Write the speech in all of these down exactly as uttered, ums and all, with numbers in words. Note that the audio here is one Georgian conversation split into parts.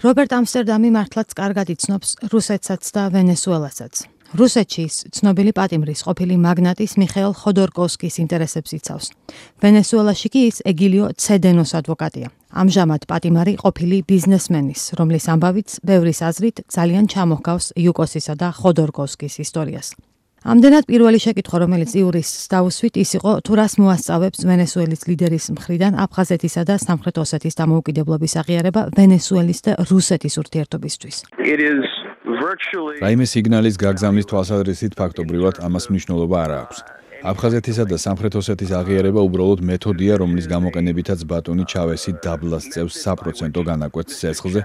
რობერტ ამსტერდამი მართლაც კარგად იცნობს რუსეთსაც და ვენესუელასაც. რუსეთში ის ცნობილი პატიმრის ყოფილი მაგნატის მიხეილ ხოდორკოვსკის ინტერესებს იცავს. ვენესუელაში კი ის ეგილიო ცედენოს ადვოკატია. ამჟამად პატიმარი ყოფილი ბიზნესმენის, რომლის ამბავიც ბევრის აზრით ძალიან ჩამოჰგავს იუკოსისა და ხოდორკოვსკის ისტორიას. ამდენად პირველი შეკითხვა, რომელიც იურისტს დაუსვით, ის იყო, თუ რას მოასწავებს ვენესუელის ლიდერის მხრიდან აფხაზეთისა და სამხრეთ ოსეთის დამოუკიდებლობის აღიარება ვენესუელის და რუსეთის ურთიერთობისთვის. რაიმე სიგნალის გაგზავნის თვალსაზრისით ფაქტობრივად ამას მნიშვნელობა არ აქვს. აფხაზეთისა და სამხრეთ ოსეთის აღიარება უბრალოდ მეთოდია, რომლის გამოყენებითაც ბატონი ჩავესი დაბლას წევს საპროცენტო განაკვეთს ცეცხლზე,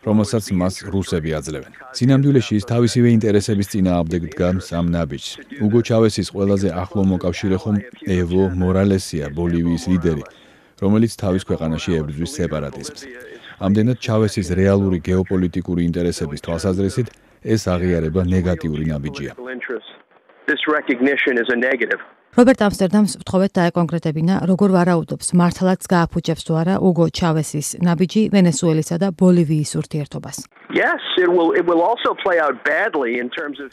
რომელსაც მას რუსები აძლევენ. სინამდვილეში ის თავისივე ინტერესების წინააღმდეგ დგამს ამ ნაბიჯს. უგო ჩავესის ყველაზე ახლო მოკავშირე ხომ ევო მორალესია, ბოლივიის ლიდერი, რომელიც თავის ქვეყანაში ებრძვის სეპარატიზმს. ამდენად ჩავესის რეალური გეოპოლიტიკური ინტერესების თვალსაზრისით ეს აღიარება ნეგატიური ნაბიჯია. რობერტ ამსტერდამს ვთხოვეთ დაეკონკრეტებინა, როგორ ვარაუდობს, მართლაც გააფუჭებს თუ არა უგო ჩავესის ნაბიჯი ვენესუელისა და ბოლივიის ურთიერთობას.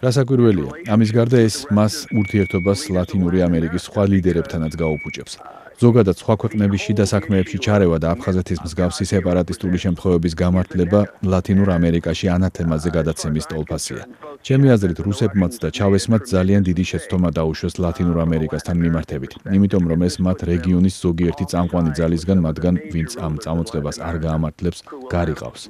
რასაკვირველია, ამის გარდა ეს მას ურთიერთობას ლათინური ამერიკის სხვა ლიდერებთანაც გაუფუჭებს. ზოგადად სხვა ქვეყნების შიდა საქმეებში ჩარევა და აფხაზეთის მსგავსი სეპარატისტული შემთხვევების გამართლება ლათინურ ამერიკაში ანათემაზე გადაცემის ტოლფასია. ჩემი აზრით, რუსებმაც და ჩავესმაც ძალიან დიდი შეცდომა დაუშვეს ლათინურ ამერიკასთან მიმართებით, იმიტომ რომ ეს მათ რეგიონის ზოგიერთი წამყვანი ძალისგან, მათგან ვინც ამ წამოწყებას არ გაამართლებს, გარიყავს.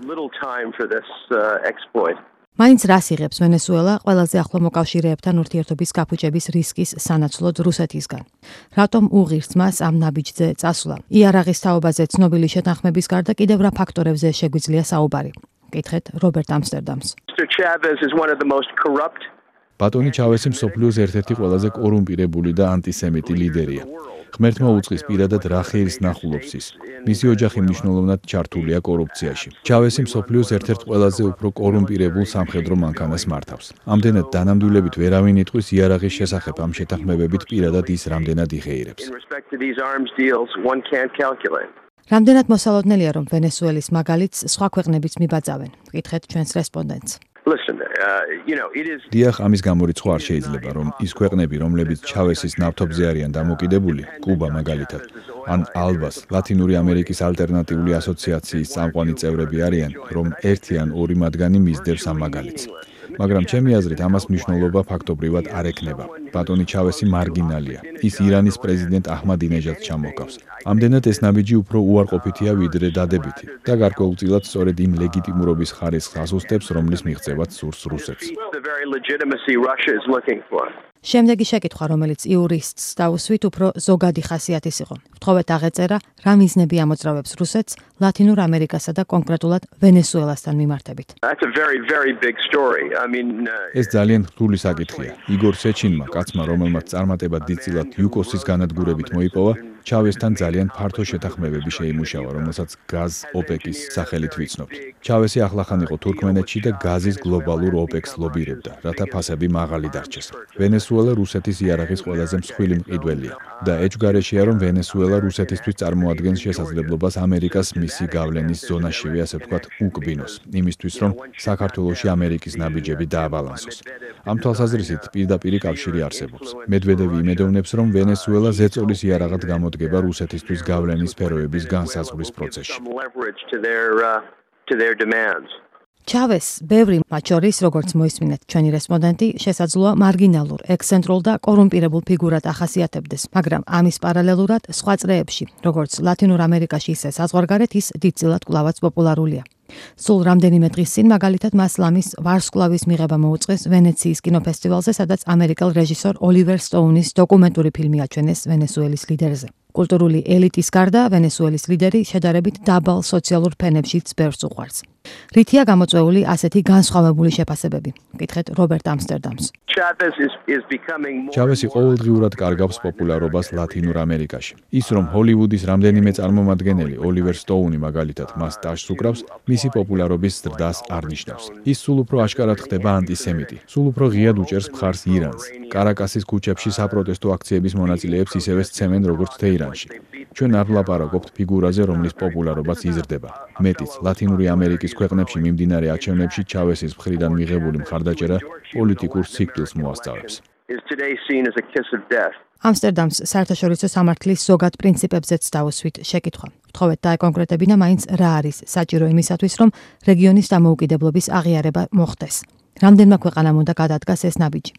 მაინც რას იღებს ვენესუელა ყველაზე ახლო მოკავშირეებთან ურთიერთობის გაფუჭების რისკის სანაცვლოდ რუსეთისგან? რატომ უღირს მას ამ ნაბიჯზე წასვლა? იარაღის თაობაზე ცნობილი შეთანხმების გარდა კიდევ რა ფაქტორებზე შეგვიძლია საუბარი? კითხეთ რობერტ ამსტერდამს. ბატონი ჩავესი მსოფლიოს ერთ-ერთი ყველაზე კორუმპირებული და ანტისემიტი ლიდერია. ღმერთმა უწყის პირადად რა ხეილს ნახულობს ის. მისი ოჯახი მნიშვნელოვნად ჩართულია კორუფციაში. ჩავესი მსოფლიოს ერთ-ერთ ყველაზე უფრო კორუმპირებულ სამხედრო მანქანას მართავს. ამდენად დანამდვილებით ვერავინ იტყვის იარაღის შესახებ ამ შეთანხმებებით პირადად ის რამდენად იხეირებს. რამდენად მოსალოდნელია, რომ ვენესუელის მაგალითს სხვა ქვეყნებიც მიბაძავენ? კითხეთ ჩვენს რესპონდენტს. დიახ, ამის გამორიცხვა არ შეიძლება, რომ ის ქვეყნები, რომლებიც ჩავესის ნავთობზე არიან დამოკიდებული, კუბა მაგალითად, ან ალბას, ლათინური ამერიკის ალტერნატიული ასოციაციის წამყვანი წევრები არიან, რომ ერთი ან ორი მათგანი მისდევს ამ მაგალითს. მაგრამ ჩემი აზრით ამას მნიშვნელობა ფაქტობრივად არ ექნება. ბატონი ჩავესი მარგინალია. ის ირანის პრეზიდენტ აჰმადინეჟადს ჩამოჰგავს. ამდენად ეს ნაბიჯი უფრო უარყოფითია ვიდრე დადებითი და გარკვეულწილად სწორედ იმ ლეგიტიმურობის ხარისხს ასუსტებს, რომლის მიღწევაც სურს რუსეთს. შემდეგი შეკითხვა, რომელიც იურისტს დაუსვით, უფრო ზოგადი ხასიათის იყო. ვთხოვეთ აღეწერა, რა მიზნები ამოძრავებს რუსეთს ლათინურ ამერიკასა და კონკრეტულად ვენესუელასთან მიმართებით. ეს ძალიან რთული საკითხია. იგორ სეჩინმა, კაცმა, რომელმაც წარმატება დიდწილად იუკოსის განადგურებით მოიპოვა, ჩავესთან ძალიან ფართო შეთანხმებები შეიმუშავა, რომელსაც გაზ ოპეკის სახელით ვიცნობთ. ჩავესი ახლახან იყო თურქმენეთში და გაზის გლობალურ ოპეკს ლობირებდა, რათა ფასები მაღალი დარჩეს. ვენესუელა რუსეთის იარაღის ყველაზე მსხვილი მყიდველია და ეჭვგარეშეა, რომ ვენესუელა რუსეთისთვის წარმოადგენს შესაძლებლობას ამერიკას მისი გავლენის ზონაშივე, ასე ვთქვათ, უკბინოს, იმისთვის, რომ საქართველოში ამერიკის ნაბიჯები დააბალანსოს. ამ თვალსაზრისით პირდაპირი კავშირი არსებობს. მედვედევი იმედოვნებს, რომ ვენესუელა ზეწოლის იარაღად გამოდგება რუსეთისთვის გავლენის სფეროების განსაზღვრის პროცესში. ჩავეს, ბევრი მათ შორის, როგორც მოისმინეთ ჩვენი რესპონდენტი, შესაძლოა მარგინალურ, ექსცენტრულ და კორუმპირებულ ფიგურად ახასიათებდეს, მაგრამ ამის პარალელურად სხვა წრეებში, როგორც ლათინურ ამერიკაში, ისე საზღვარგარეთ, ის დიდწილად კვლავაც პოპულარულია. სულ რამდენიმე დღის წინ მაგალითად მას ლამის ვარსკვლავის მიღება მოუწყეს ვენეციის კინოფესტივალზე, სადაც ამერიკელ რეჟისორ ოლივერ სტოუნის დოკუმენტური ფილმი აჩვენეს ვენესუელის ლიდერზე. კულტურული ელიტის გარდა ვენესუელის ლიდერი შედარებით დაბალ სოციალურ ფენებშიც ბევრს უყვარს. რითია გამოწვეული ასეთი განსხვავებული შეფასებები? კითხეთ რობერტ ამსტერდამს. ჩავესი ყოველდღიურად კარგავს პოპულარობას ლათინურ ამერიკაში. ის, რომ ჰოლივუდის რამდენიმე წარმომადგენელი, ოლივერ სტოუნი მაგალითად, მას ტაშს უკრავს, მისი პოპულარობის ზრდას არ ნიშნავს. ის სულ უფრო აშკარად ხდება ანტისემიტი, სულ უფრო ღიად უჭერს მხარს ირანს. კარაკასის ქუჩებში საპროტესტო აქციების მონაწილეებს ისევე სცემენ, როგორც თეირანში. მედალიონში. ჩვენ არ ვლაპარაკობთ ფიგურაზე, რომლის პოპულარობაც იზრდება. მეტიც, ლათინური ამერიკის ქვეყნებში მიმდინარე არჩევნებში ჩავესის მხრიდან მიღებული მხარდაჭერა პოლიტიკურ სიკვდილს მოასწავებს. ამსტერდამს საერთაშორისო სამართლის ზოგად პრინციპებზეც დავუსვით შეკითხვა. ვთხოვეთ დაეკონკრეტებინა მაინც რა არის საჭირო იმისათვის, რომ რეგიონის დამოუკიდებლობის აღიარება მოხდეს. რამდენმა ქვეყანამ უნდა გადადგას ეს ნაბიჯი?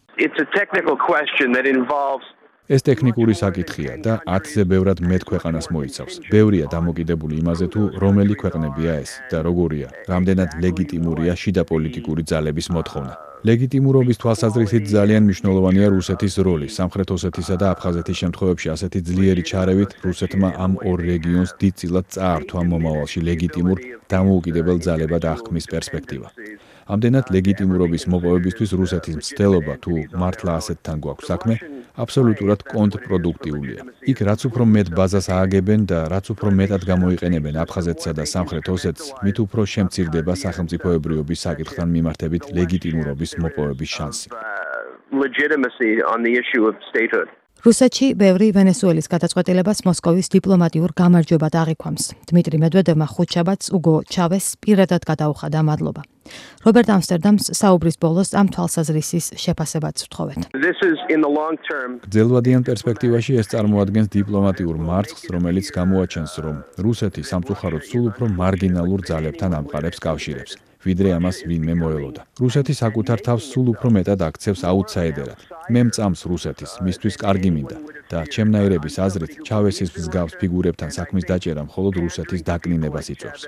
ეს ტექნიკური საკითხია და ათზე ბევრად მეტ ქვეყანას მოიცავს. ბევრია დამოკიდებული იმაზე, თუ რომელი ქვეყნებია ეს და როგორია, რამდენად ლეგიტიმურია შიდა პოლიტიკური ძალების მოთხოვნა. ლეგიტიმურობის თვალსაზრისით ძალიან მნიშვნელოვანია რუსეთის როლი. სამხრეთ ოსეთისა და აფხაზეთის შემთხვევებში ასეთი ძლიერი ჩარევით რუსეთმა ამ ორ რეგიონს დიდწილად წაართვა მომავალში ლეგიტიმურ დამოუკიდებელ ძალებად აღქმის პერსპექტივა. ამდენად ლეგიტიმურობის მოპოვებისთვის რუსეთის მცდელობა თუ მართლა ასეთთან გვაქვს საქმე, აბსოლუტურად კონტრპროდუქტიულია. იქ რაც უფრო მეტ ბაზას ააგებენ და რაც უფრო მეტად გამოიყენებენ აფხაზეთსა და სამხრეთ ოსეთს, მით უფრო შემცირდება სახელმწიფოებრიობის საკითხთან მიმართებით ლეგიტიმურობის მოპოვების შანსი. რუსეთში ბევრი ვენესუელის გადაწყვეტილებას მოსკოვის დიპლომატიურ გამარჯვებად აღიქვამს. დმიტრი მედვედევმა ხუთშაბათს უგო ჩავესს პირადად გადაუხადა მადლობა. რობერტ ამსტერდამს საუბრის ბოლოს ამ თვალსაზრისის შეფასებაც ვთხოვეთ. გრძელვადიან პერსპექტივაში ეს წარმოადგენს დიპლომატიურ მარცხს, რომელიც გამოაჩენს, რომ რუსეთი სამწუხაროდ სულ უფრო მარგინალურ ძალებთან ამყარებს კავშირებს, ვიდრე ამას ვინმე მოელოდა. რუსეთი საკუთარ თავს სულ უფრო მეტად აქცევს აუტსაიდერად. მე მწამს რუსეთის, მისთვის კარგი მინდა და ჩემნაირების აზრით, ჩავესის მსგავს ფიგურებთან საქმის დაჭერა მხოლოდ რუსეთის დაკნინებას იწვევს.